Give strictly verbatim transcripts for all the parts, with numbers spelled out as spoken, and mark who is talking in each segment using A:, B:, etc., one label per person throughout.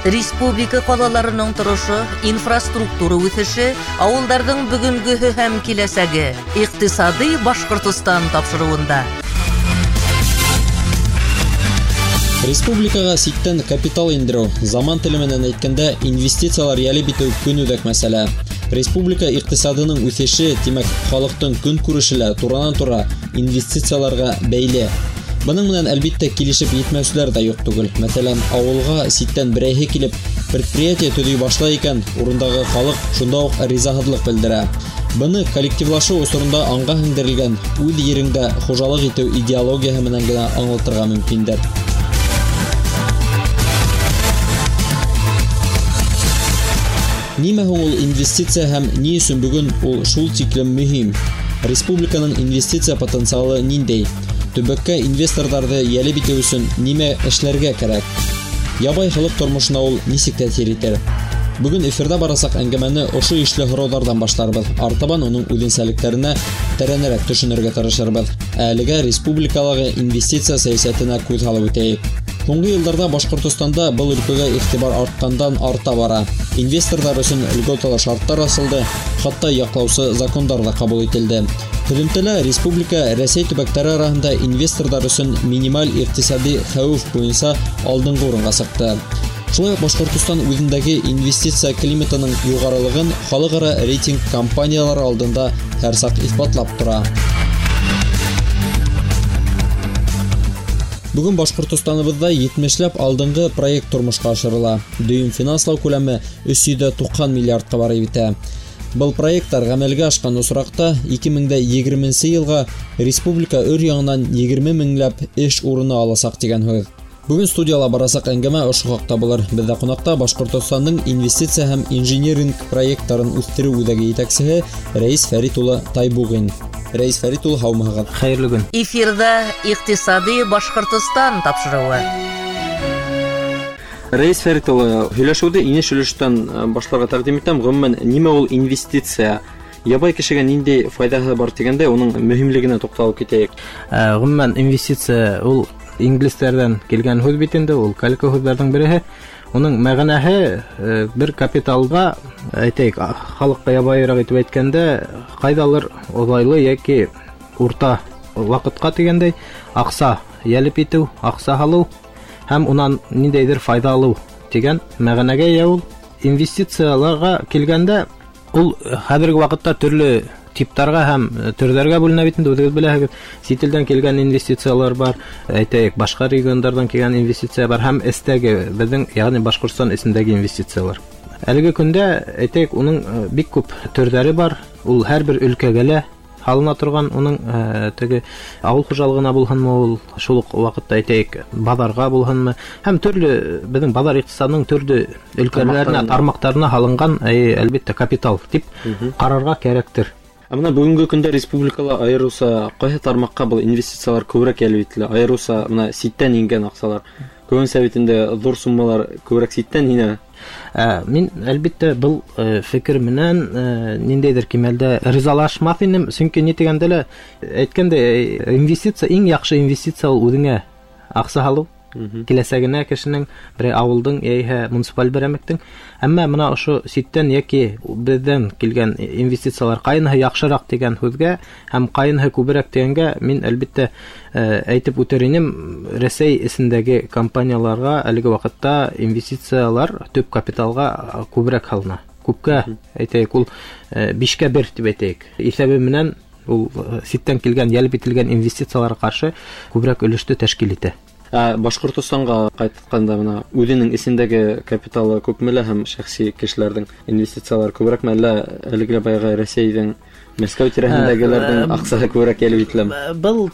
A: Республика ҡалаларының торошо, инфраструктура үҫеше, ауылдарҙың бөгөнгөһө һәм киләсәге. Иҡтисади Башҡортостан тапшырыуында.
B: Республикаға ситтән капитал индереү, заман теле менән әйткәндә, инвестициялар йәлеп итеү көнүҙәк мәсьәлә. Республика иҡтисадының үҫеше, тимәк, халыҡтың көнкүреше лә туранан-тура инвестицияларға бәйле. Бының менән әлбиттә килешеп етмәүселәр ҙә юҡ түгел. Мәҫәлән, ауылға ситтән берәйһе килеп предприятие төҙөй башлай икән, урындағы халыҡ шунда уҡ ризаһыҙлыҡ белдерә. Быны коллективлашыу осоронда аңға һеңдерелгән үҙ ереңдә хужалыҡ итеү идеологияһы менән генә аңлатырға мөмкиндер. Нимә һуң ул инвестиция һәм ни өсөн бөгөн ул шул тиклем мөһим? Республиканың инвестиция потенциалы ниндәй? Төбәккә инвесторҙарҙы йәлеп итеү өсөн нимә эшләргә кәрәк? Ябай халыҡ тормошона ул нисек тәьҫир итер? Бөгөн эфирҙа барасаҡ әңгәмәне ошо ишле һорауҙарҙан башларбыҙ. Артабан уның үҙенсәлектәренә тәрәнерәк төшөнөргә тырышырбыҙ. Ә әлегә республикалағы инвестиция сәйәсәтенә күҙ һалып үтәйек. Һуңғы йылдарҙа Башҡортостанда был өлкәгә иғтибар артҡандан арта бара. Инвесторҙар өсөн льготалы шарттар асылды, хатта яҡлаусы закондар ҙа ҡабул ителде. Һөҙөмтәлә республика Рәсәй төбәктәре араһында инвесторҙар өсөн минималь иҡтисади хәүеф буйынса алдынғы урынға сыҡты. Шулай уҡ Башҡортостан үҙендәге инвестиция климатының юғарылығын халыҡ-ара рейтинг компаниялары алдында һәр саҡ иҫбатлап тора. Бөгөн Башҡортостаныбыҙҙа етмешләп алдынғы проект тормошҡа ашырыла. Дөйөм финанслау күләме өс йөҙ туҡһан миллиардҡа барып етә. Был проекттар ғәмәлгә ашҡан осраҡта ике мең дә егерменсе йылға республика өр яңынан егерме меңләп эш урыны аласаҡ тигән һүҙ. Бөгөн студияла барасаҡ әңгәмә ошо хаҡта булыр. Беҙҙә ҡунаҡта Башҡортостандың инвестиция һәм инжиниринг проекттарын үҫтереү үҙәге етәксеһе Рәис Фәрит улы Тайбуғин. Рәис Фәрит улы, һаумыһығыҙ?
C: Хәйерле көн.
A: Эфирҙа Иҡтисади Башҡортостан тапшырыуы.
B: Рәис Фәрит улы, һөйләшеүҙе инеш өлөштән башларға тәҡдим итәм. Ғөмүмән, нимә ул инвестиция? Ябай кешегә ниндәй файҙаһы бар тигәндә, уның мөһимлегенә туҡталып китәйек.
C: Ғөмүмән, инвестиция ул инглиздәрҙән килгән һүҙ бит инде, ул калька һүҙҙәрҙең береһе. Уның мәғәнәһе бер капиталға, әйтәйек, халыҡҡа ябайыраҡ итеп әйткәндә, ҡайҙалыр оҙайлы йәки урта ваҡытҡа тигәндәй аҡса йәлеп итеү, аҡса һалыу һәм унан ниндәйҙер файҙа алыу тигән мәғәнәгә эйә ул. Инвестицияларға килгәндә, ул хәҙерге ваҡытта төрлө типтарға һәм төрҙәргә бүленә бит инде, үҙегеҙ беләһегеҙ. Сит илдән килгән инвестициялар бар, әйтәйек, башҡа региондарҙан килгән инвестиция бар һәм эстәге беҙҙең, йәғни Башҡортостан эсендәге инвестициялар. Әлеге көндә, әйтәйек, уның бик күп төрҙәре бар. Ул һәр бер өлкәгә лә һалына торған, уның теге ауыл хужалығына булһынмы ул, шул уҡ ваҡытта, әйтәйек, баҙарға булһынмы, һәм төрлө беҙҙең баҙар иҡтисадының төрлө өлкәләренә, тармаҡтарына һалынған, әлбиттә, капитал тип ҡарарға кәрәктер.
B: Ә бына бөгөнгө көндә республикала айырыуса ҡайһы тармаҡҡа был инвестициялар күберәк йәлеп ителә? Айырыуса бына ситтән ингән аҡсалар. Күбенсә бит инде ҙур суммалар күберәк ситтән инә.
C: Ә, мин әлбиттә был фекер менән ниндәйҙер кимәлдә ризалашмаҫ инем, сөнки ни тигәндә лә, әйткәндәй, инвестиция иң яҡшы инвестиция ул үҙеңә аҡса һалыу. Киләсәгенә кешенең, берәй ауылдың, йәиһә муниципаль берәмлектең. Әммә бына ошо ситтән йәки беҙҙән килгән инвестициялар ҡайныһы яҡшыраҡ тигән һүҙгә һәм ҡайныһы күберәк тигәнгә мин әлбиттә әйтеп үтер инем, Рәсәй эсендәге компанияларға әлеге ваҡытта инвестициялар төп капиталға күберәк һалына. Күпкә, әйтәйек, ул бишкә бер тип әйтәйек. Иҫәбе менән ул ситтән килгән, йәлеп ителгән инвестицияларға ҡаршы күберәк өлөштө тәшкил итә.
B: Ә Башҡортостанға ҡайтҡанда бына үҙенең эсендәге капиталы күпме лә һәм шәхси кешеләрҙең инвестициялары күберәкме, әллә әлеге лә баяғы Рәсәйҙең Мәскәү тирәһендәгеләрҙең аҡсаһы күберәк йәлеп ителәме?
C: Был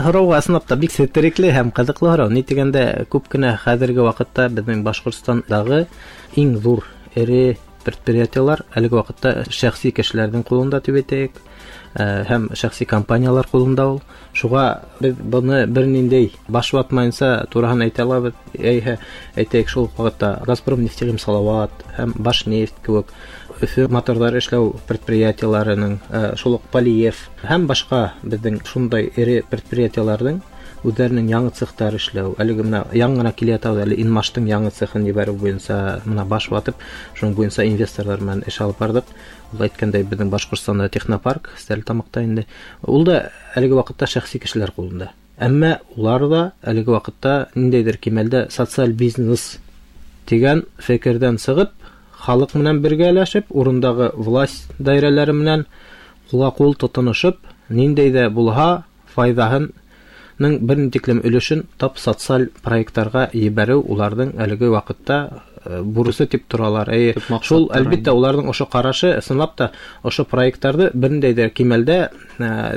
C: һорауға ысынлап та бик сетерекле һәм ҡыҙыҡлы һорау. Ни тигәндә, күп кенә хәҙерге ваҡытта беҙҙең Башҡортостандағы иң ҙур эре предприятиелар әлеге ваҡытта шәхси кешеләрҙең ҡулында тип әйтәйек, һәм шәхси компаниялар ҡулында ул. Шуға беҙ быны бер ниндәй баш ватмайынса тураһын әйтә алабыҙ. Әйһә, әйтәйек, шул уҡ ваҡытта Газпром нефтехим Салават һәм Башнефть кеүек Өфө моторҙар эшләү предприятиеларының, шул уҡ Полиев һәм башҡа беҙҙең шундай эре предприятиеларҙың үҙҙәренең яңы цехтар эшләү. Әлеге менә яңы ғына килә ятабыҙ әле Инмаштың яңы цехын ебәреү буйынса менә баш ватып, шуның буйынса инвесторҙар менән эш алып барҙыҡ. Ул әйткәндәй, беҙҙең Башҡортостанда технопарк Стәрлетамаҡта инде. Ул да әлеге ваҡытта шәхси кешеләр ҡулында. Әммә улар да әлеге ваҡытта ниндәйҙер кимәлдә социаль бизнес тигән фекерҙән сығып, халыҡ менән бергәләшеп, урындағы власть даирәләре менән ҡулға-ҡул тотоношоп, ниндәй ҙә булһа файҙаһының бер ни тиклем өлөшөн тап социаль проекттарға ебәреү уларҙың әлеге ваҡытта бурысы тип торалар. Әйе, шул әлбиттә уларҙың ошо ҡарашы ысынлап та ошо проекттарҙы бер ниндәй ҙә кимәлдә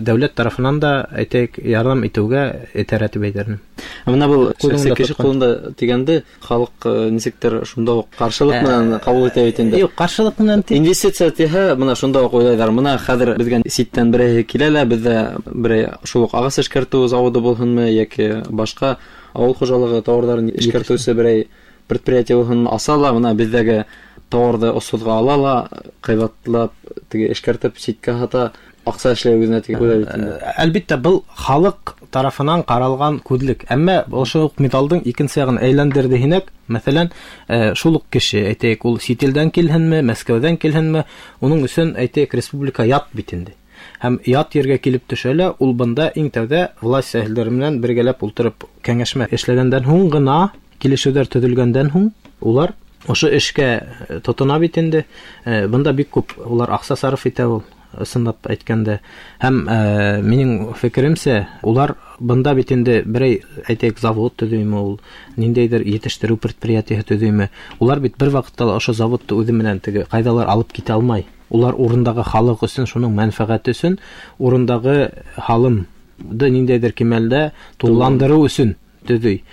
C: дәүләт тарафынан да әйтәйек ярҙам итеүгә этәрә тип әйтермен.
B: Бына был шәхси кеше ҡулында тигәнде халыҡ нисектер шунда уҡ ҡаршылыҡ менән ҡабул итә бит инде.
C: Юҡ, ҡаршылыҡ менән тип.
B: Инвестиция тиһә, бына шунда уҡ уйлайҙар. Бына хәҙер беҙгә ситтән берәйһе килә лә, беҙҙә берәй шул уҡ ағас эшкәртеү заводы булһынмы йәки башҡа ауыл хужалығы тауарҙарын эшкәртеүсе берәй предприятие булһын аса ла, бына беҙҙәге тауарҙы осһоҙға ала ла, ҡыйбатлап теге эшкәртеп ситкә һата, аҡса эшләй үҙенә тигән уйлай бит инде.
C: Әлбиттә, был халыҡ тарафынан ҡаралған күҙлек. Әммә ошо уҡ миҙалдың икенсе яғын әйләндерҙе һинәк, мәҫәлән, шул уҡ кеше, әйтәйек, ул сит илдән килһенме, Мәскәүҙән килһенме, уның өсөн, әйтәйек, республика ят бит инде. Һәм ят ергә килеп төшә лә, ул бында иң тәүҙә власть әһелдәре менән бергәләп ултырып кәңәшмә эшләгәндән һуң ғына, килешеүҙәр төҙөлгәндән һуң улар ошо эшкә тотона бит инде. Бында бик күп улар аҡса сарыф итә ул, ысынлап әйткәндә. Һәм минең фекеремсә, улар бында бит инде берәй, әйтәйек, завод төҙөймө ул, ниндәйҙер етештереү предприятиеһы төҙөймө, улар бит бер ваҡытта ла ошо заводты үҙе менән теге ҡайҙалар алып китә алмай. Улар урындағы халыҡ өсөн, шуның мәнфәғәте өсөн, урындағы һалымды ниндәйҙер кимәлдә тулыландырыу өсөн төҙөй.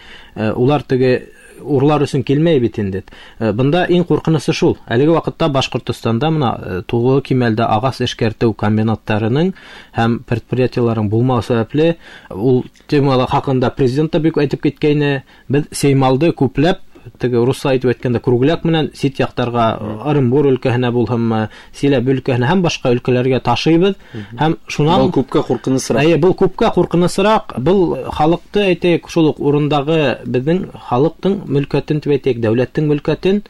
C: Улар теге урлар өсөн килмәй бит инде. Бында иң ҡурҡынысы шул. Әлеге ваҡытта Башҡортостанда мына тулы кимәлдә ағас эшкәртеү комбинаттарының һәм предприятиеларының булмау сәбәпле, ул темала хаҡында президент та бик әйтеп киткәйне, беҙ сеймалды күпләп, теге русса әйтеп әйткәндә кругляк менән сит яҡтарға, Ырымбур өлкәһенә булһынмы, Силәбе өлкәһенә һәм башҡа өлкәләргә ташыйбыҙ. Һәм шунан
B: был күпкә ҡурҡынысыраҡ.
C: Әйе, был күпкә ҡурҡынысыраҡ. Был халыҡты, әйтәйек, шул уҡ урындағы беҙҙең халыҡтың мөлкәтен тип әйтәйек, дәүләттең мөлкәтен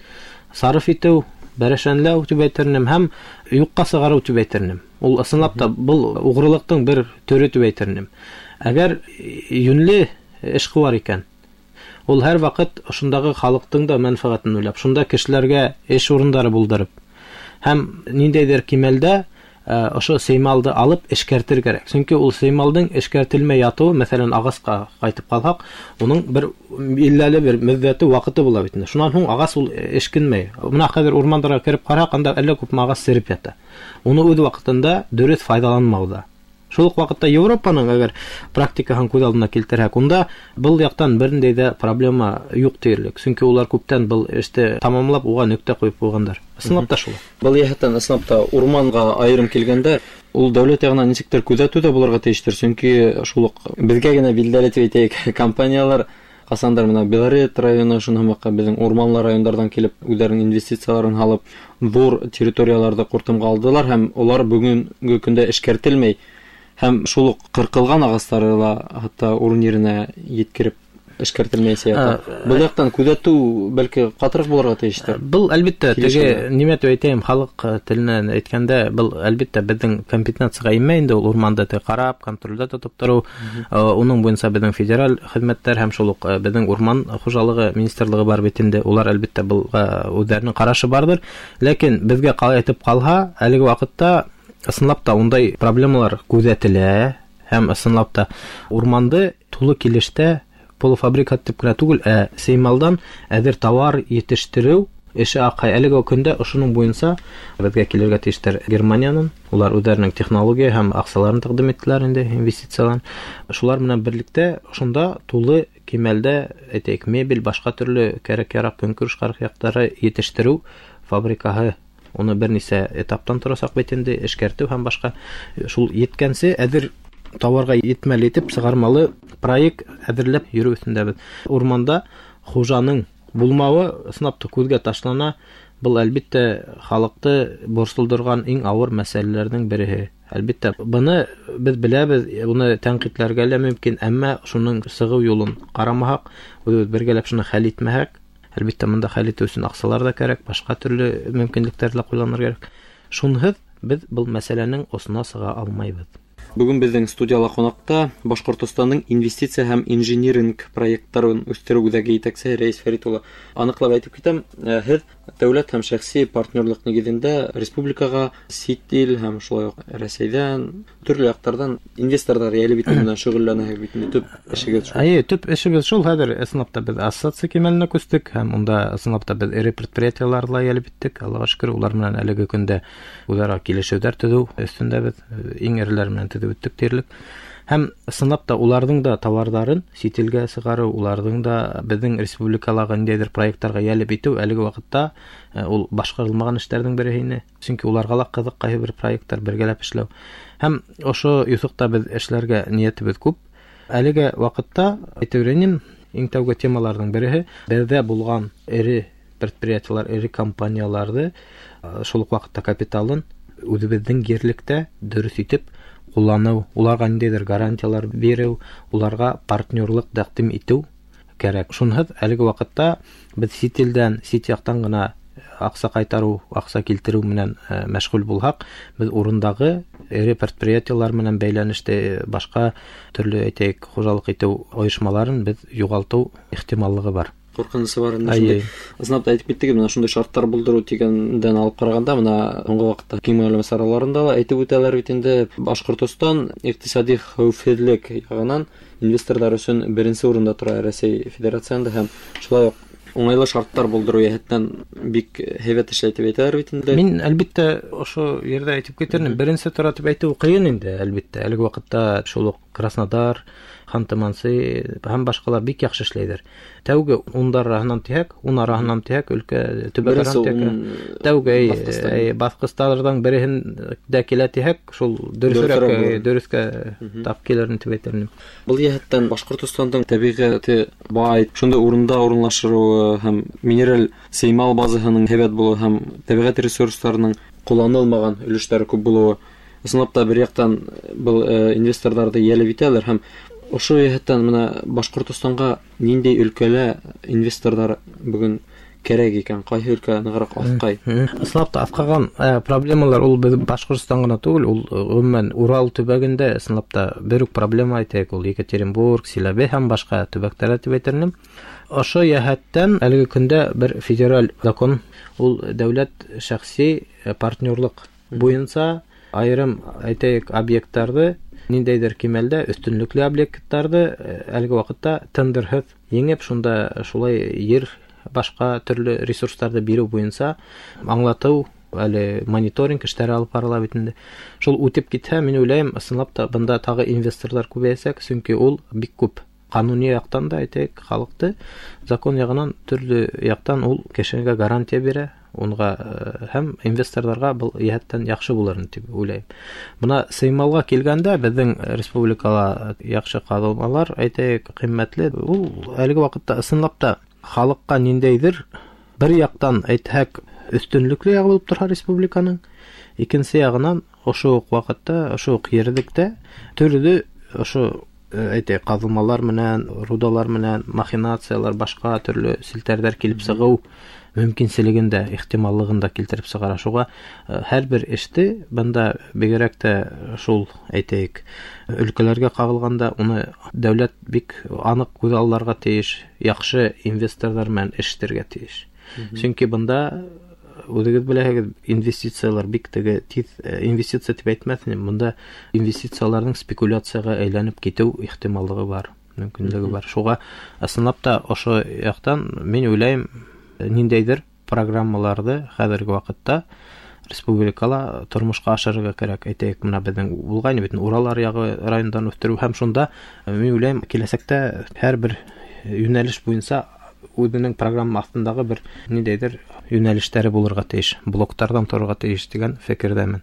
C: сарыф итеү, бәрәшәнләү тип әйтер инем һәм юҡҡа сығарыу тип әйтер инем. Ул ысынлап та был уғрылыҡтың бер төрө тип әйтер инем. Әгәр йүнле эшҡыуар икән, ул һәр ваҡыт ошондағы халыҡтың да мәнфәғәтен уйлап, шунда кешеләргә эш урындары булдырып, һәм ниндәйҙер кимәлдә ошо сеймалды алып эшкәртер кәрәк. Сөнки ул сеймалдың эшкәртелмәй ятыуы, мәҫәлән, ағасҡа ҡайтып ҡалһаҡ, уның бер илләле бер мөҙҙәте, ваҡыты була бит инде. Шунан һуң ағас ул эшкенмәй. Бына хәҙер урмандарға кереп ҡараһаҡ, анда әллә күпме ағас сереп ята. Уны үҙ ваҡытында дөрөҫ файҙаланмауҙа. Шул уҡ ваҡытта Европаның әгәр практикаһын күҙ алдына килтерһәк, унда был яҡтан бер ниндәй ҙә проблема юҡ тиерлек. Сөнки улар күптән был эште тамамлап, уға нөктә ҡуйып ҡуйғандар. Ысынлап та шулай.
B: Был йәһәттән ысынлап та урманға айырым килгәндә, ул дәүләт яғынан нисектер күҙәтеү ҙә булырға тейештер. Сөнки шул уҡ беҙгә генә билдәле тип әйтәйек, компаниялар ҡасандыр бына Белорет районы, шуның һымаҡ беҙҙең урманлы райондарҙан килеп үҙҙәренең инвестицияларын һалып, ҙур территорияларҙы ҡуртымға алдылар һәм улар бөгөнгө көндә эшкәртелмәй. Һәм шул уҡ ҡырҡылған ағастары ла хатта урын еренә еткереп эшкәртелмәйсә ята. Был яҡтан күҙәтеү бәлки ҡатыраҡ булырға тейештер.
C: Был әлбиттә теге нимә тип әйтәйем, халыҡ теленән әйткәндә, был әлбиттә беҙҙең компетенцияға инмәй инде ул урманды теге ҡарап, контролдә тотоп тороу. Уның буйынса беҙҙең федераль хеҙмәттәр һәм шул уҡ беҙҙең урман хужалығы министрлығы бар бит инде. Улар әлбиттә был үҙҙәренең ҡарашы барҙыр. Ләкин беҙгә ҡайтып ҡалһа, әлеге ваҡытта ысынлап та ундай проблемалар күҙәтелә һәм ысынлап та урманды тулы килештә полуфабрикат тип кенә түгел, ә сеймалдан әҙер тауар етештереү эше аҡай. Әлеге көндә ошоноң буйынса беҙгә килергә тейештәр Германиянан. Улар үҙҙәренең технология һәм аҡсаларын тәҡдим иттеләр инде, инвестицияларын. Шулар менән берлектә ошонда тулы кимәлдә, әйтәйек, мебель, башҡа төрлө кәрәк-яраҡ, көнкүреш ҡарыҡ-яҡтары етештереү фабрикаһы. Уны бер нисә этаптан торасаҡ бит инде, эшкәртеү һәм башҡа. Шул еткәнсе әҙер тауарға етмәле итеп сығармалы проект әҙерләп йөрөү өҫтөндәбеҙ. Урманда хужаның булмауы ысынлап та күҙгә ташлана. Был, әлбиттә, халыҡты борсолдорған иң ауыр мәсьәләләрҙең береһе. Әлбиттә, быны беҙ беләбеҙ, уны тәнҡитләргә лә мөмкин, әммә шуның сығыу юлын ҡарамаһаҡ, үҙебеҙ бергәләп шуны хәл итмәһәк, әлбиттә, бында хәл итеү өсөн аҡсалар ҙа кәрәк, башҡа төрлө мөмкинлектәр ҙә ҡулланырға кәрәк. Шунһыҙ беҙ был мәсьәләнең осона сыға алмайбыҙ.
B: Бөгөн беҙҙең студияла ҡунаҡта Башҡортостандың инвестиция һәм инжиниринг проекттарын үҫтереү үҙәге етәксеһе Рәис Фәрит улы. Аныҡлап әйтеп китәм, һеҙ дәүләт һәм шәхси партнерлыҡ нигеҙендә республикаға сит ил һәм шулай уҡ Рәсәйҙән төрлө яҡтарҙан инвесторҙар йәлеп итеү менән шөғөлләнәһегеҙ бит инде, төп эшегеҙ шул.
C: Эйе, төп эшебеҙ шул. Хәҙер ысынлап та беҙ ассоциация кимәленә күстек һәм унда ысынлап та беҙ эре предприятиеларҙы ла йәлеп иттек. Аллаға шөкөр, улар менән әлеге көндә үҙ-ара килешеүҙәр төҙөү өҫтөндә беҙ, иң эреләр менән төҙөп үттек тиерлек. Һәм ысынлап та уларҙың да тауарҙарын сит илгә сығарыу, уларҙың да беҙҙең республикалағы ниндәйҙер проекттарға йәлеп итеү әлеге ваҡытта, э, ул башҡарылмаған эштәрҙең береһе ине. Сөнки уларға ла ҡыҙыҡ ҡайһы бер проекттар бергәләп эшләү. Һәм ошо юҫыҡта беҙ эшләргә ниәтебеҙ күп. Әлеге ваҡытта әйтер инем, иң тәүге темаларҙың береһе беҙҙә булған эре предприятиелар, эре компанияларҙы, э, шул уҡ ваҡытта капиталын үҙебеҙҙең ерлектә дөрөҫ итеп ҡулланыу, уларға ниндәйҙер гарантиялар биреү, уларға партнерлыҡ тәҡдим итеү кәрәк. Шунһыҙ әлеге ваҡытта беҙ сит илдән, сит яҡтан ғына аҡса ҡайтарыу, аҡса килтереү менән, э, мәшғүл булһаҡ, беҙ урындағы эре предприятиелар менән бәйләнештә башҡа төрлө, әйтәйек, хужалыҡ итеү ойошмаларын беҙ юғалтыу ихтималлығы бар.
B: Ҡурҡынысы бар инде
C: Ай,
B: шундай.
C: ай.
B: Ысынлап та әйтеп киттегеҙ, бына шундай шарттар булдырыу тигәндән алып ҡарағанда, бына һуңғы ваҡытта киң мәғлүмәт сараларында ла әйтеп үтәләр бит инде, Башҡортостан иҡтисади хәүефһеҙлек яғынан инвесторҙар өсөн беренсе урында тора Рәсәй Федерацияһында һәм шулай уҡ уңайлы шарттар булдырыу йәһәтенән бик һәйбәт эшләй тип әйтәләр бит инде.
C: Мин әлбиттә ошо ерҙә әйтеп китер инем, беренсе тора тип әйтеү ҡыйын инде, әлбиттә. Әлеге ваҡытта шул уҡ Краснодар, Ханты-Манси һәм башҡалар бик яҡшы эшләйҙәр. Тәүге ундар араһынан тиһәк, ун араһынан тиһәк, өлкә төбәк
B: Беренсе
C: араһынан тиһәк,
B: ун
C: тәүге, эй,
B: баҫҡыстан.
C: эй, баҫҡыстарҙың береһен дә килә тиһәк, шул дөрөҫөрәк,
B: Дөрөҫөрәк
C: эй,
B: булыр.
C: дөрөҫкә
B: Мгм.
C: тап килер тип әйтер инем.
B: Был йәһәттән Башҡортостандың тәбиғәте бай, шундай урында урынлашыуы һәм минераль сеймал базаһының һәйбәт булыуы һәм тәбиғәт ресурстарының ҡулланылмаған өлөштәре күп булыуы ысынлап та бер яҡтан был, э, инвесторҙарҙы йәлеп итәләр һәм ошо йәһәттән бына Башҡортостанға ниндәй өлкәлә инвесторҙар бөгөн кәрәк икән, ҡайһы өлкә нығыраҡ аҫҡай?
C: Мгм. Ысынлап та аҫҡаған, э, проблемалар ул беҙ Башҡортостан ғына түгел, ул, э, ғөмүмән Урал төбәгендә ысынлап та бер үк проблема әйтәйек, ул Екатеринбург, Силәбе һәм башҡа төбәктәрҙә тип әйтер инем. Ошо йәһәттән әлеге көндә бер федераль закон, ул дәүләт шәхси, э, партнерлыҡ буйынса айырым әйтәйек объекттарҙы ниндәйҙер кимәлдә өҫтөнлөклө объекттарҙы, э, әлеге ваҡытта тендерһеҙ еңеп, шунда шулай ер башҡа төрлө ресурстарҙы биреү буйынса аңлатыу, әле мониторинг эштәре алып барыла бит инде. Шул үтеп китһә, мин уйлайым, ысынлап та бында тағы инвесторҙар күбәйәсәк, сөнки ул бик күп ҡануни яҡтан да әйтәйек, халыҡты закон яғынан төрлө яҡтан ул кешегә гарантия бирә, унға, э, һәм инвесторҙарға был йәһәттән яҡшы булыр тип уйлайым. Бына сеймалға килгәндә беҙҙең республикала яҡшы ҡаҙылмалар, әйтәйек, ҡиммәтле. Ул әлеге ваҡытта ысынлап та халыҡҡа ниндәйҙер бер яҡтан әйтһәк өҫтөнлөклө яғы булып торһа республиканың, икенсе яғынан ошо уҡ ваҡытта, ошо уҡ ерлектә төрлө ошо, э, әйтәйек, ҡаҙылмалар менән, рудалар менән махинациялар, башҡа төрлө селтәрҙәр килеп сығыу мөмкинселеген дә, ихтималлығын да килтереп сығара. Шуға, э, һәр бер эште бында бигерәк тә шул, әйтәйек, өлкәләргә ҡағылғанда уны дәүләт бик аныҡ күҙ алларға тейеш, яҡшы инвесторҙар менән эш итергә тейеш.
B: Мгм.
C: Сөнки бында үҙегеҙ беләһегеҙ, инвестициялар бик теге тиҙ, э, инвестиция тип әйтмәҫ инем, бында инвестицияларҙың спекуляцияға әйләнеп китеү ихтималлығы бар, мөмкинлеге
B: Мгм.
C: бар. Шуға ысынлап та ошо яҡтан мин уйлайым, ниндәйҙер программаларҙы хәҙерге ваҡытта республикала тормошҡа ашырырға кәрәк. Әйтәйек, бына беҙҙең булғайны бит Урал аръяғы райондарын үҫтереү һәм шунда мин уйлайым, киләсәктә һәр бер йүнәлеш буйынса үҙенең программа аҫтындағы бер ниндәйҙер йүнәлештәре булырға тейеш, блоктарҙан торорға тейеш тигән фекерҙәмен.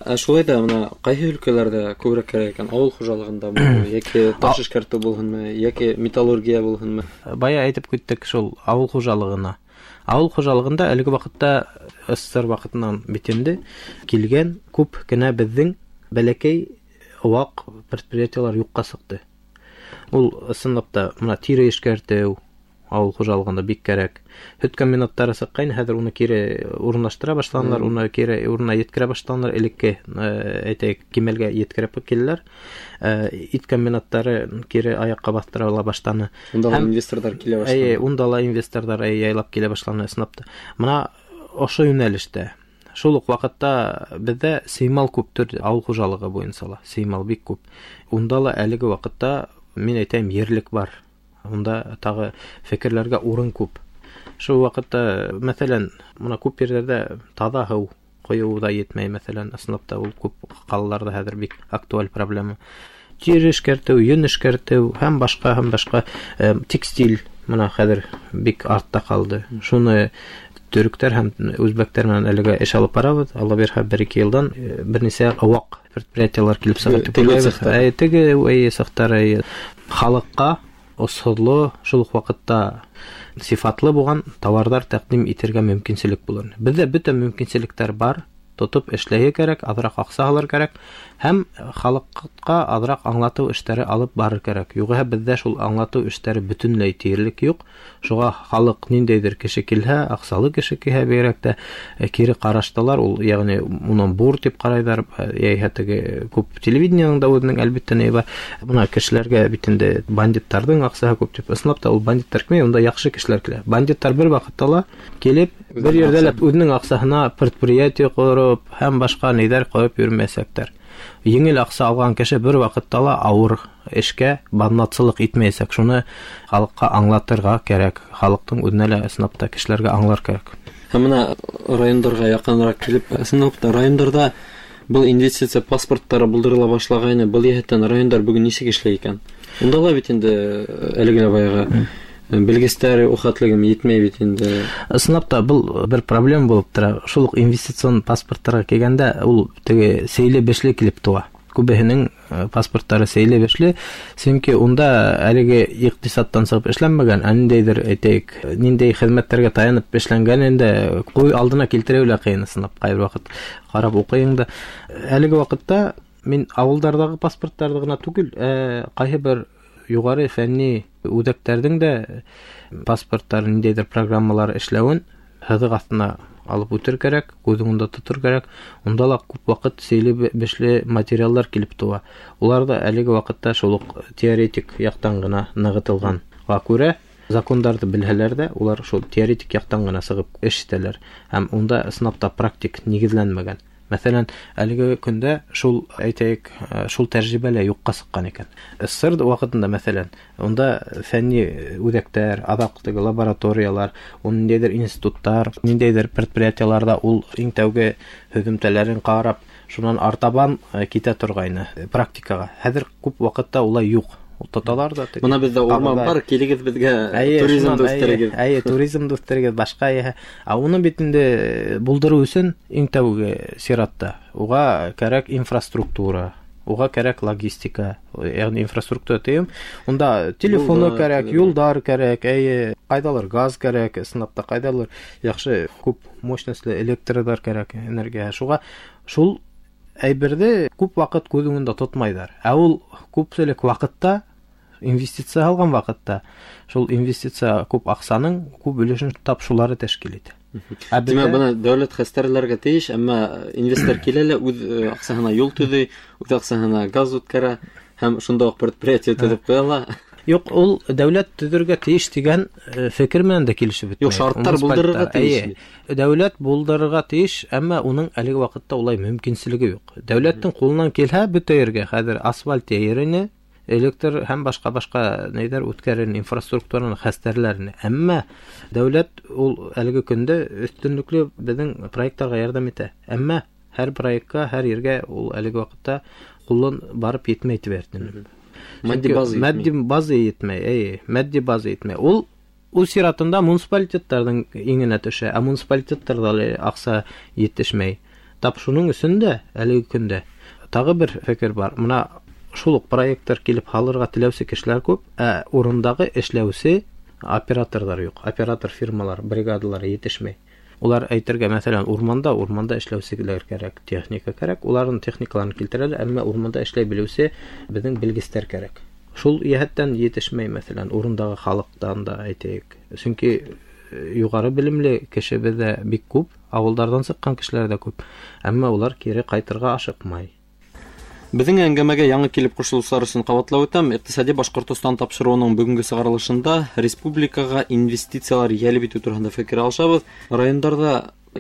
B: Ә шулай да бына ҡайһы өлкәләрҙә күберәк кәрәк икән? Ауыл хужалығындамы, йәки таш эшкәртеү булһынмы, йәки металлургия булһынмы?
C: Бая әйтеп киттек шул ауыл хужалығына. Ауыл хужалығында әлеге ваҡытта СССР ваҡытынан бит инде килгән күп кенә беҙҙең бәләкәй ваҡ предприятиелар юҡҡа сыҡты. Ул ысынлап та мына тире эшкәртеү ауыл хужалығында бик кәрәк. Һөт комбинаттары сыҡҡайны, хәҙер уны кире урынлаштыра башланылар, уны кире урынына еткерә башланылар, элекке, әйтәйек, кимәлгә еткереп килделәр. Ит комбинаттары кире аяҡҡа баҫтыра башланы.
B: Унда ла инвесторҙар килә башланы.
C: Эйе, унда ла инвесторҙар яйлап килә башланы, ысынлап та. Мына ошо йүнәлештә шул уҡ ваҡытта беҙҙә сеймал күптер ауыл хужалығы буйынса ла, сеймал бик күп. Унда ла әлеге ваҡытта, мин әйтәйем, ерлек бар. Унда тағы фекерләргә урын күп. Шул ваҡытта, мәҫәлән, мына күп ерҙәрҙә таҙа һыу ҡойоу ҙа етмәй, мәҫәлән, ысынлап та ул күп ҡалаларҙа хәҙер бик актуаль проблема. Тире эшкәртеү, йөн эшкәртеү һәм башҡа, һәм башҡа, текстиль мына хәҙер бик артта ҡалды. Шуны төрөктәр һәм үзбәктәр менән әлегә эш алып барабыҙ. Алла бирһә, бер-ике йылдан бер нисә ваҡ предприятиелар килеп сыға дип уйлайбыҙ. Әй, теге әй цехтар, әй, халыҡҡа осһоҙло, шул уҡ ваҡытта сифатлы булған тауарҙар тәҡдим итергә мөмкинселек булыр. Беҙҙә бөтә мөмкинселектәр бар, тотоп эшләйе кәрәк, аҙыраҡ аҡса алыр кәрәк һәм халыҡҡа аҙыраҡ аңлатыу эштәре алып барыр кәрәк. Юғиһә беҙҙә шул аңлатыу эштәре бөтөнләй тиерлек юҡ. Шуға халыҡ ниндәйҙер кеше килһә, аҡсалы кеше килһә, бигерәк тә кире ҡарашталар, ул йәғни унан бур тип ҡарайҙар, йәиһә теге күп телевидениеның да үҙенең әлбиттә ни бар. Бына кешеләргә бит инде бандиттарҙың аҡсаһы күп тип. Ысынлап та ул бандиттар килмәй, унда яҡшы кешеләр килә. Бандиттар бер ваҡытта ла килеп, бер ерҙә лә үҙенең аҡсаһына предприятие ҡороп һәм башҡа ниҙәр ҡойоп йөрөмәйәсәктәр. Еңел аҡса алған кеше бер ваҡытта ла ауыр эшкә бандитсылыҡ итмәйәсәк. Шуны халыҡҡа аңлатырға кәрәк. Халыҡтың үҙенә лә ысынлап та кешеләргә аңлар кәрәк.
B: Һәм мына райондарға яҡыныраҡ килеп, ысынлап та райондарҙа был инвестиция паспорттары булдырыла башлағайны, был йәһәттән райондар бөгөн нисек эшләй икән? Унда ла бит инде әлеге лә баяғы белгестәр ухатлыгым етмәй бит инде.
C: Ысынлап та был бер проблема булып тора. Шул уҡ инвестицион паспорттарға килгәндә, ул теге сейле бешле килеп тыуа. Күбеһенең паспорттары сейле бешле, сөнки унда әлеге иҡтисадтан сығып эшләнмәгән, ә ниндәйҙер, әйтәйек, ниндәй хеҙмәттәргә таянып эшләнгәнен дә ҡуй алдына килтереү лә ҡыйын, ысынлап ҡайбер ваҡыт ҡарап уҡыйың да. Әлеге ваҡытта мин ауылдарҙағы паспорттарҙы ғына түгел, ә ҡайһы бер юғары фәнни үҙәктәрҙең дә паспорттары, ниндәйҙер программалар эшләүен һыҙыҡ аҫтына алып үтер кәрәк, күҙ уңында тотор кәрәк. Унда ла күп ваҡыт сейле бешле материалдар килеп тыуа. Улар ҙа әлеге ваҡытта шул уҡ теоретик яҡтан ғына нығытылғанға күрә, закондарҙы белһәләр ҙә, улар шул теоретик яҡтан ғына сығып эш итәләр. Һәм унда ысынлап та практик нигеҙләнмәгән. Мәҫәлән, әлеге көндә шул, әйтәйек, шул тәжрибә лә юҡҡа сыҡҡан икән. СССР ваҡытында, мәҫәлән, унда фәнни үҙәктәр, аҙаҡ теге лабораториялар, ун ниндәйҙер институттар, ниндәйҙер предприятиеларҙа ул иң тәүге һөҙөмтәләрен ҡарап, шунан артабан китә торғайны практикаға. Хәҙер күп ваҡытта улай юҡ. Тоталар да теге.
B: Бына беҙҙә урман бар, килегеҙ беҙгә, туризмды үҫтерегеҙ.
C: Эйе, туризмды үҫтерегеҙ, башҡа эйе. Ә уны бит инде булдырыу өсөн иң тәүге сиратта уға кәрәк инфраструктура, уға кәрәк логистика, ягъни инфраструктура тием. Унда телефоны кәрәк, юлдар кәрәк, эйе, ҡайҙалыр газ кәрәк, ысынлап та ҡайҙалыр яҡшы күп мощностьлы электрҙар кәрәк, энергия. Шуға шул әйберҙе күп ваҡыт күҙ уңында тотмайҙар. Ә ул күпселек ваҡытта инвестиция алған ваҡытта шул инвестиция күп аҡсаның күп өлөшөн тап шулары тәшкил итә.
B: Ә Тимәк, бына дәүләт хәстәрләргә тейеш, әммә инвестор килә лә үҙ аҡсаһына юл төҙөй, үҙ аҡсаһына газ үткәрә һәм шунда уҡ предприятие төҙөп ҡуя ла.
C: Юҡ, ул дәүләт төҙөргә тейеш тигән фекер менән дә килешеп бөтмәй.
B: Юҡ, шарттар булдырырға тейеш.
C: Дәүләт булдырырға тейеш, әммә уның әлеге ваҡытта улай мөмкинселеге юҡ. Дәүләттең ҡулынан килһә бөтә ергә хәҙер асфальт йәйер, электр һәм башҡа-башҡа нейҙәр үткәрер, инфраструктураны хәстәрләрен. Әммә дәүләт ул әлеге көндә өҫтөнлөклө беҙҙең проекттарға ярҙам итә. Әммә һәр проектҡа, һәр ергә ул әлеге ваҡытта ҡулын барып етмәй тип әйтер.
B: Матди база етмәй.
C: Матди база етмәй, эйе, матди база етмәй. Ул үҙ сиратында муниципалитеттарҙың иңенә төшә, ә муниципалитеттарҙа әле аҡса етешмәй. Тап шуның өсөн дә әлеге көндә тағы бер фекер бар. Мына шул уҡ проекттар килеп һалырға теләүсе кешеләр күп, ә урындағы эшләүсе Операторҙар юҡ, оператор фирмалар, бригадалар етешмәй. Улар әйтергә, мәҫәлән, урманда, урманда эшләүселәр кәрәк, техника кәрәк. Уларҙың техникаларын килтерәләр, әммә урманда эшләй белеүсе беҙҙең белгестәр кәрәк. Шул йәһәттән етешмәй, мәҫәлән, урындағы халыҡтан да әйтәйек. Сөнки юғары белемле кеше беҙҙә бик күп, ауылдарҙан сыҡҡан кешеләр ҙә күп, әммә улар кире ҡайтырға ашыҡмай.
B: Беҙҙең әңгәмәгә яңы килеп ҡушылыусылар өсөн ҡабатлап үтәм. Иҡтисади Башҡортостан тапшырыуының бөгөнгө сығарылышында республикаға инвестициялар йәлеп итеү тураһында фекер алышабыҙ. Райондарҙа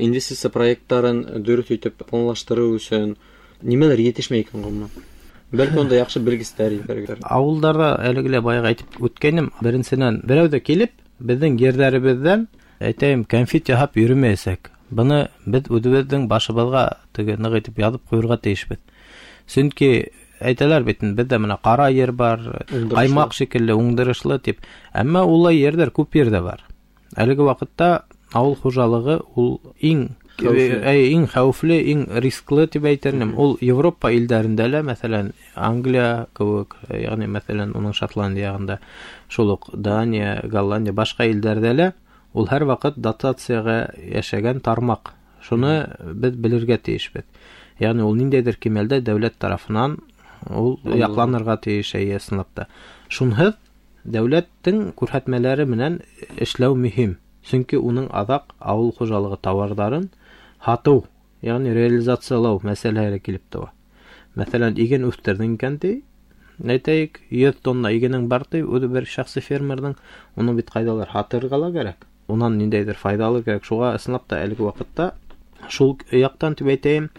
B: инвестиция проекттарын дөрөҫ итеп планлаштырыу өсөн нимәләр етешмәй икән ғөмүмән? Бәлки унда яҡшы белгестәр ебәргәндәр.
C: Ауылдарҙа әлеге лә баяғы әйтеп үткәнем, беренсенән, берәү ҙә килеп беҙҙең ерҙәребеҙҙән, әйтәйем, кәнфит яһап йөрөмәйәсәк. Быны беҙ үҙебеҙҙең башыбыҙға теге ныҡ итеп яҙып ҡуйырға тейешбеҙ. Сөнки әйтәләр бит, беҙҙә мына ҡара ер бар, ҡаймаҡ шикелле уңдырышлы тип. Әммә улай ерҙәр күп ерҙә бар. Әлеге ваҡытта ауыл хужалығы ул иң иң хәүефле, иң рисклы тип әйтер инем. Ул Европа илдәрендә лә, мәҫәлән, Англия кеүек, йәғни мәҫәлән, уның Шотландия яғында, шул уҡ Дания, Голландия, башҡа илдәрҙә лә ул һәр ваҡыт дотацияға йәшәгән тармаҡ. Шуны беҙ белергә тейешбеҙ. Йәғни ул ниндәйҙер кимәлдә дәүләт тарафынан ул яҡланырға тейеш, эйе, ысынлап та. Шунһыҙ дәүләттең күрһәтмәләре менән эшләү мөһим. Сөнки уның аҙаҡ ауыл хужалығы тауарҙарын һатыу, йәғни реализациялау мәсьәләһе килеп тыуа. Мәҫәлән, иген үҫтерҙең икән ти, әйтәйек, йөҙ тонна игенең бар ти, үҙе бер шәхси фермерҙың, уны бит ҡайҙалыр һатырға ла кәрәк. Унан ниндәйҙер файҙа алыр кәрәк. Шуға ысынлап та әлеге ваҡытта шул яҡтан тип әйтәйем,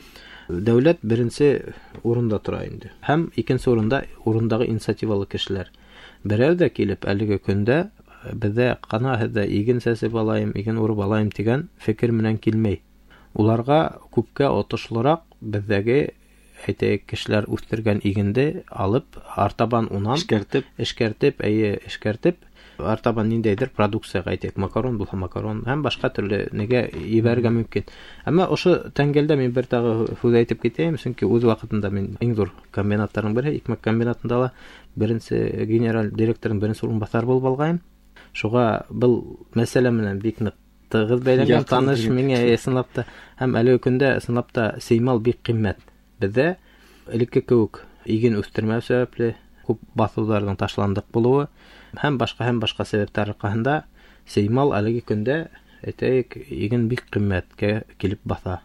C: дәүләт беренсе урында тора инде. Һәм икенсе урында урындағы инициативалы кешеләр. Берәү ҙә килеп әлеге көндә беҙҙә ҡана һеҙҙә иген сәсеп алайым, иген урып алайым тигән фекер менән килмәй. Уларға күпкә отошлораҡ беҙҙәге, әйтәйек, кешеләр үҫтергән игенде алып, артабан унан
B: эшкәртеп,
C: эшкәртеп, эйе, эшкәртеп, артабан ниндәйҙер продукцияға, әйтәйек, макарон булһа макарон һәм башҡа төрлө нигә ебәрергә мөмкин. Әммә ошо тәңгәлдә мин бер тағы һүҙ әйтеп китәйем, сөнки үҙ ваҡытында мин иң ҙур комбинаттарҙың береһе, икмәк комбинатында ла беренсе генераль директорҙың беренсе урынбаҫары булып алғайым. Шуға был мәсьәлә менән бик ныҡ тығыҙ бәйләнгән, таныш миңә, ысынлап та. Һәм әлеге көндә ысынлап та сеймал бик ҡиммәт. Беҙҙә элекке кеүек иген үҫтермәү сәбәпле күп баҫыуҙарҙың ташландыҡ булыуы һәм башҡа һәм башҡа сәбәптәр арҡаһында сеймал әлеге көндә, әйтәйек, иген бик ҡиммәткә килеп баҫа.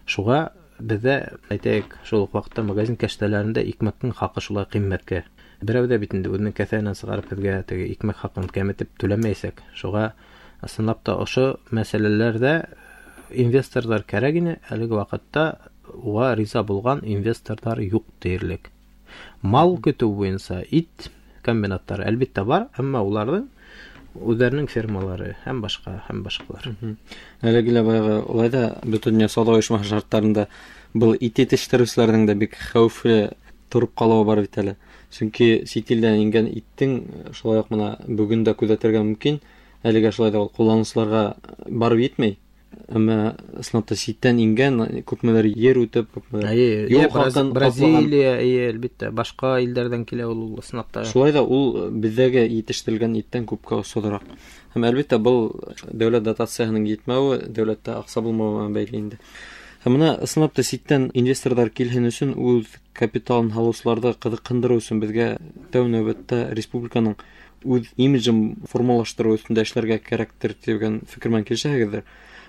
C: Шуға беҙҙә, әйтәйек, шул уҡ ваҡытта магазин кәштәләрендә икмәктең хаҡы шулай ҡиммәткә. Берәү ҙә бит инде үҙенең кеҫәһенән сығарып беҙгә теге икмәк хаҡын кәметеп түләмәйәсәк. Шуға ысынлап та ошо мәсьәләләрҙә инвесторҙар кәрәк ине. Әлеге ваҡытта уға риза булған инвесторҙар юҡ тиерлек. Мал көтөү буйынса ит комбинаттары әлбиттә бар, әммә уларҙың үҙҙәренең фермалары һәм башҡа һәм башҡалар.
B: Әлеге лә баяғы улай ҙа бөтөн донъя сауҙа ойошмаһы шарттарында был ит етештереүселәрҙең дә бик хәүефле тороп ҡалыуы бар бит әле. Сөнки сит илдән ингән иттең шулай уҡ мына бөгөн дә күҙәтергә мөмкин, әлегә шулай ҙа ул ҡулланыусыларға барып етмәй. Әммә ысынлап та ситтән ингән күпмелер ер үтеп, күпмелер юл хаҡын
C: Бразилия, эйе, әлбиттә, башҡа илдәрҙән килә ул ысынлап та.
B: Шулай ҙа ул беҙҙәге етештерелгән иттән күпкә осһоҙораҡ. Һәм әлбиттә был дәүләт дотацияһының етмәүе, дәүләттә аҡса булмауы менән бәйле инде. Һәм мына ысынлап та ситтән инвесторҙар килһен өсөн, үҙ капиталын һалыусыларҙы ҡыҙыҡһындырыу өсөн беҙгә тәү нәүбәттә республиканың үҙ имиджын формалаштырыу өҫтөндә эшләргә кәрәктер тигән фекер менән килешәһегеҙҙер.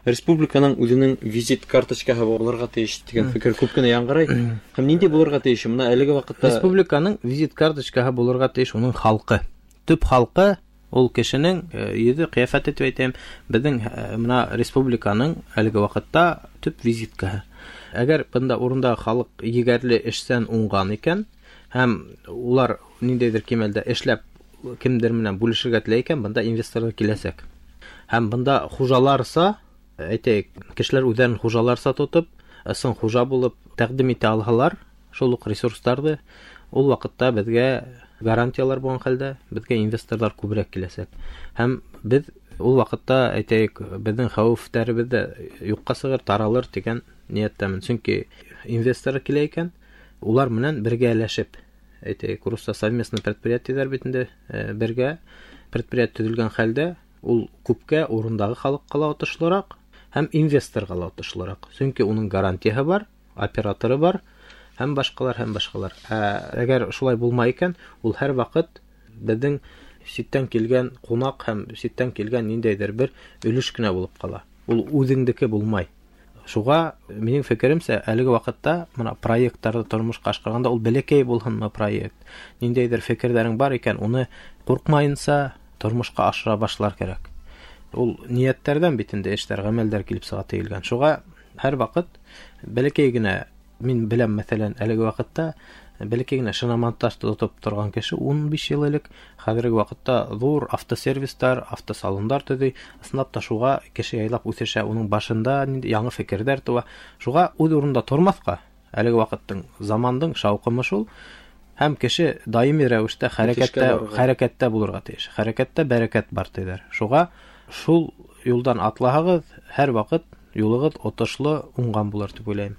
B: Республиканың үҙенең визит карточкаһы булырға тейеш тигән фекер күп кенә яңғырай. Һәм ниндәй булырға тейеш? Мына әлеге ваҡытта
C: республиканың визит карточкаһы булырға тейеш уның халҡы. Төп халҡы ул кешенең йөҙө, ҡиәфәте тип әйтәм, беҙҙең мына республиканың әлеге ваҡытта төп визиткаһы. Әгәр бында урында халыҡ егәрле, эшсән, уңған икән һәм улар ниндәйҙер кимәлдә эшләп кемдер менән бүлешергә теләй икән, бында инвесторҙар киләсәк. Һәм бында хужаларса, әйтәйек, кешеләр үҙҙәрен хужаларса тотоп, ысын хужа булып тәҡдим итә алһалар, шул уҡ ресурстарҙы, ул ваҡытта беҙгә гарантиялар булған хәлдә беҙгә инвесторҙар күберәк киләсәк. Һәм беҙ ул ваҡытта, әйтәйек, беҙҙең хәүефтәребеҙ ҙә юҡҡа сығыр, таралыр тигән ниәттәмен. Сөнки инвестор килә икән, улар менән бергәләшеп, әйтәйек, русса совместный предприятиелар бит инде, бергә Предприятие төҙөлгән хәлдә ул күпкә урындағы халыҡҡа ла отошлораҡ һәм инвесторға ла отошлораҡ. Сөнки уның гарантияһы бар, операторы бар һәм башҡалар һәм башҡалар. Ә әгәр шулай булмай икән, ул һәр ваҡыт беҙҙең ситтән килгән ҡунаҡ һәм ситтән килгән ниндәйҙер бер өлөш кенә булып ҡала. Ул үҙеңдеке булмай. Шуға минең фекеремсә, әлеге ваҡытта мына проекттарҙы тормошҡа ашырғанда ул бәләкәй булһынмы проект, ниндәйҙер фекерҙәрең бар икән, уны ҡурҡмайынса тормошҡа ашыра башлар кәрәк. Ул ниәттәрҙән бит инде эштәр, ғәмәлдәр килеп сыға тейелгән. Шуға һәр ваҡыт бәләкәй генә, мин беләм, мәҫәлән, әлеге ваҡытта бәләкәй генә шиномонтаж тотоп торған кеше ун биш йыл элек хәҙерге ваҡытта ҙур автосервистар, автосалондар төҙөй. Ысынлап та шуға кеше яйлап үҫешә, уның башында ниндәй яңы фекерҙәр тыуа. Шуға үҙ урында тормаҫҡа, әлеге ваҡыттың, замандың шауҡымы шул. Һәм кеше даими рәүештә хәрәкәттә, хәрәкәттә булырға тейеш. Хәрәкәттә бәрәкәт бар тиҙәр. Шуға шул юлдан атлаһағыҙ, һәр ваҡыт юлығыҙ отошло, уңған булыр тип уйлайым.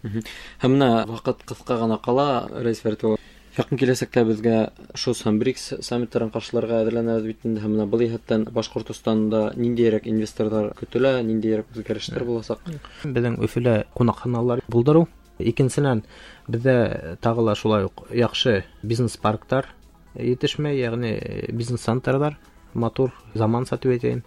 B: Һәм менә ваҡыт ҡыҫҡа ғына ҡала, Рәис Фәрит улы. Яҡын киләсәктә беҙгә ШОС һәм БРИКС саммиттарын ҡаршыларға әҙерләнәбеҙ бит инде. Һәм менә был йәһәттән Башҡортостанда ниндәйерәк инвесторҙар көтөлә, ниндәйерәк үҙгәрештәр буласаҡ?
C: Беҙҙең Өфөлә ҡунаҡханалар булдырыу. Икенсенән, беҙҙә тағы ла шулай уҡ яҡшы бизнес-парктар етешмәй, йәғни бизнес-центрҙар, матур заманса тип әйтәйем.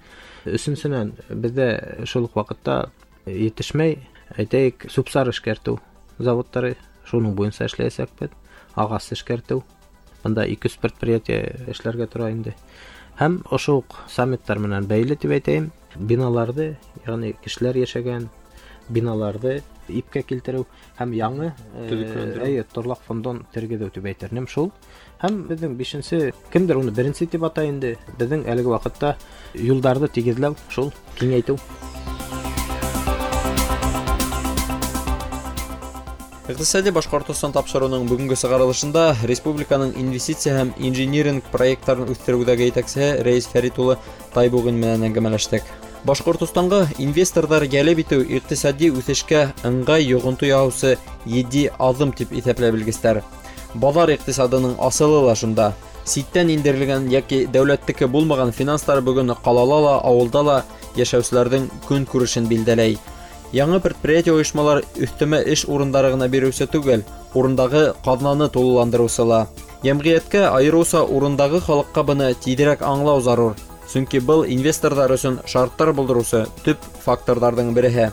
C: Өсөнсөнән, беҙҙә шул уҡ ваҡытта етешмәй, әйтәйек, супсар эшкәртеү заводтары, шуның буйынса эшләйәсәкбеҙ, ағас эшкәртеү. Бында ике йөҙ предприятие эшләргә тора инде. Һәм ошо уҡ саммиттар менән бәйле тип әйтәйем, биналарҙы, йәғни кешеләр йәшәгән биналарҙы ипкә килтереү һәм яңы әйе, торлаҡ фондон тергеҙеү тип әйтер инем шул. Һәм беҙҙең бишенсе, кемдер уны беренсе тип атай инде, беҙҙең әлеге ваҡытта юлдарҙы тигеҙләү, шул киңәйтеү.
B: Иҡтисади Башҡортостан тапшырыуының бөгөнгө сығарылышында республиканың инвестиция һәм инжиниринг проекттарын үҫтереү үҙәге етәксеһе Рәис Фәрит улы Тайбуғин менән әңгәмәләштек. Башҡортостанға инвесторҙар йәлеп итеү иҡтисади үҫешкә ыңғай йоғонто яһаусы етди аҙым тип иҫәпләй белгестәр. Баҙар иҡтисадының асылы ла шунда. Ситтән индерелгән йәки дәүләттеке булмаған финанстар бөгөн ҡалала ла, ауылда ла йәшәүселәрҙең көнкүрешен билдәләй. Яңы предприятие ойошмалар өҫтәмә эш урындары ғына биреүсе түгел, урындағы ҡаҙнаны тулыландырыусы ла. Йәмғиәткә, айырыуса урындағы халыҡҡа быны тиҙерәк аңлау зарур. Сөнки был инвесторҙар өсөн шарттар булдырыусы төп факторҙарҙың береһе.